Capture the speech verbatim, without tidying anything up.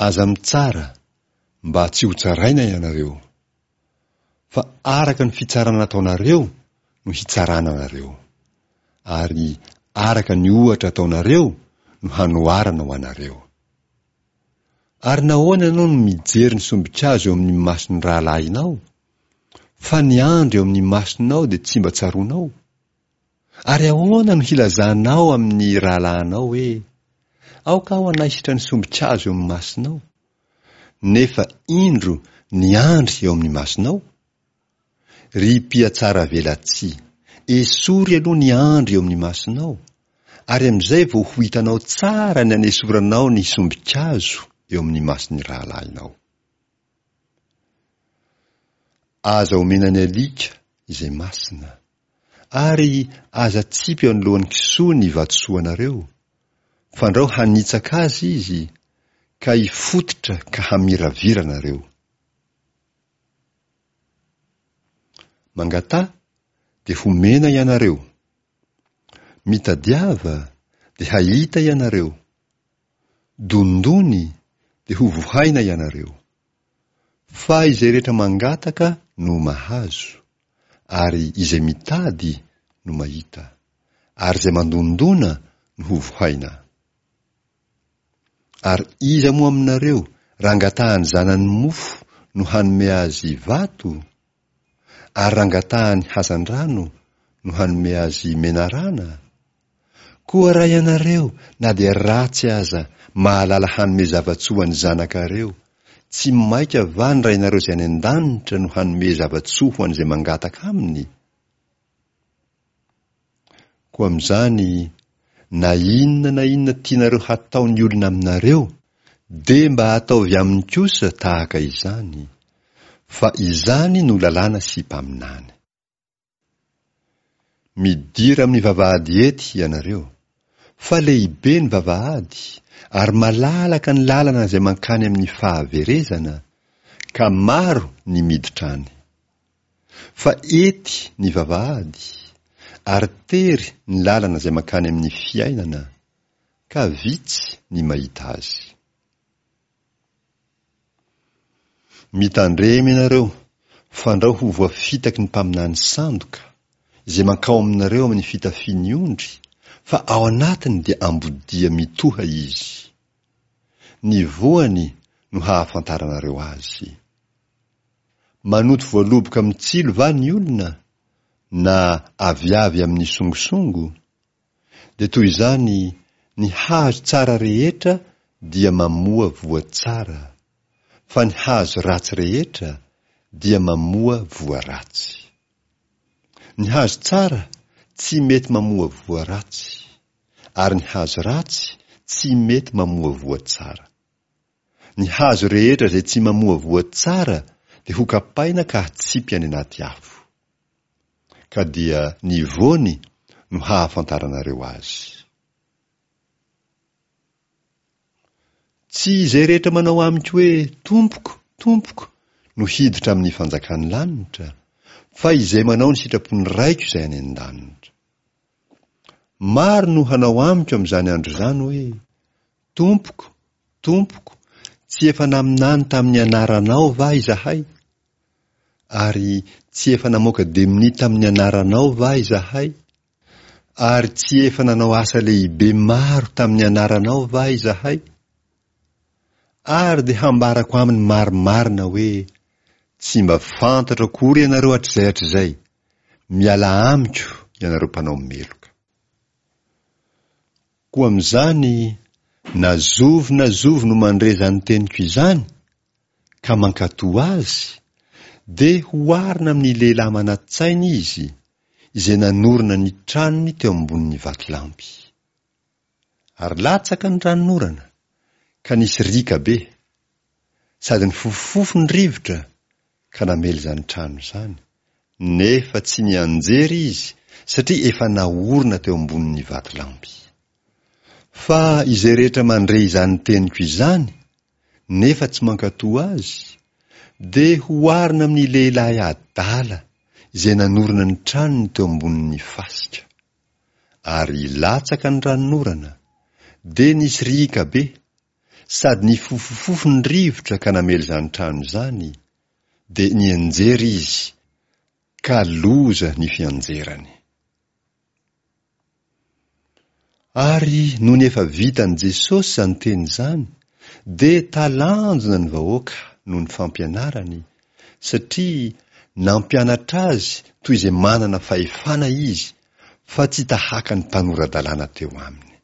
Aza mitsara, mba tsy hotsaraina ianareo. Fa araka ny fitsarana ataonareo no hitsarana anareo, ary araka ny ohatra ataonareo no hanoharana ho anareo. Ary nahoana ianao no mijery ny sombin-kazo eo amin'ny mason'ny rahalahinao, fa ny andry eo amin'ny masonao dia tsy mba tsaroanao? Ary ahoana no hilazanao amin'ny rahalahinao hoe, Aoka aho hanaisotra ny sombin-kazo eo amin'ny masonao, nefa indro ny andry eo amin'ny masonao? Ry mpihatsaravelatsihy, esory aloha ny andry eo amin'ny masonao, ary amin'izay vao ho hitanao tsara ny hanesoranao ny sombin-kazo eo amin'ny mason'ny rahalahinao. Aza omena ny alika izay masina, ary aza atsipy eo anoloan'ny kisoa ny vatosoanareo, fandrao hanitsaka azy izy, ka hifototra ka hamiravira anareo. Mangataha, dia homena ianareo. Mitadiava, dia hahita ianareo. Dondony, dia hovohaina ianareo. Fa izay rehetra mangataka no mahazo, ary izay mitady no mahita, ary izay mandondona no hovohaina. Ary iza moa aminareo raha angatahan'ny zanany mofo no hanome azy vato? Ary raha angatahany hazandrano no hanome azy menarana? Koa raha ianareo, na dia ratsy aza, mahalala hanome zava-tsoa ho an'ny zanakareo, tsy mainka va ny Rainareo izay any an-danitra no hanome zava-tsoa ho an'izay mangataka aminy? Koa amin'izany, na inona na inona tianareo hataon'ny olona aminareo, dia mba ataovy aminy kosa tahaka izany, fa izany no lalàna sy mpaminany. Midira amin'ny vavahady ety ianareo, fa lehibe ny vavahady, ary malalaka ny lalana izay mankany amin'ny fahaverezana, ka maro ny miditra any. Fa ety ny vavahady, ary tery ny lalana izay mankany amin'ny fiainana, ka vitsy ny mahita azy. Mitandrema ianareo, fandrao ho voafitaky ny mpaminany sandoka, izay mankao aminareo amin'ny fitafian'ny ondry, fa ao anatiny dia ambodia mitoha izy. Ny voany no hahafantaranareo azy. Manoto voaloboka amin'ny tsilo va ny olona, na aviavy amin'ny songosongo? Dia toy izany ny hazo tsara rehetra dia mamoa voa tsara, fa ny hazo ratsy rehetra dia mamoa voa ratsy. Ny hazo tsara tsy mety mamoa voa ratsy, ary ny hazo ratsy tsy mety mamoa voa tsara. Ny hazo rehetra izay tsy mamoa voa tsara dia hokapaina ka hatsipy any anaty afo. Ka dia ny voany no hahafantaranareo azy. Tsy izay rehetra manao amiko hoe, Tompoko, Tompoko, no hiditra amin'ny fanjakan'ny lanitra, fa izay manao ny sitrapon'ny Raiko izay any an-danitra. Maro no hanao amiko amin'izany andro izany hoe, Tompoko, Tompoko, tsy efa naminany tamin'ny anaranao va izahay? Ary tsy efa namoaka demonia tamin'ny anaranao va izahay? Ary tsy efa nanao asa lehibe maro tamin'ny anaranao va izahay? Ary dia hambarako aminy marimarina hoe, Tsy mba fantatro akory ianareo hatrizay hatrizay, mialà amiko ianareo mpanao meloka. Koa amin'izany, na zovy na zovy no mandre izany teniko izany, ka mankatò azy, dia hoharina amin'ny lehilahy manan-tsaina izy, izay nanorina ny tranony teo ambonin'ny vatolampy. Ary latsaka ny ranonorana, ka nisy riaka be, sady nifofofofo ny rivotra, ka namely izany trano izany, nefa tsy nianjera izy, satria efa naorina teo ambonin'ny vatolampy. Fa izay rehetra mandre izany teniko izany, nefa tsy mankatò azy, dia hoharina amin'ny lehilahy adala izay nanorina ny tranony teo ambonin'ny fasika. Ary latsaka ny ranonorana, dia nisy riaka be, sady nifofofofo ny rivotra ka namely izany trano izany, dia nianjera izy, ka loza ny fianjerany. Ary nony efa vitan'i Jesosy izany teny izany, dia talanjona ny vahoaka noho ny fampianarany, satria nampianatra azy toy izay manana fahefana izy, fa tsy tahaka ny mpanora-dalàna teo aminy.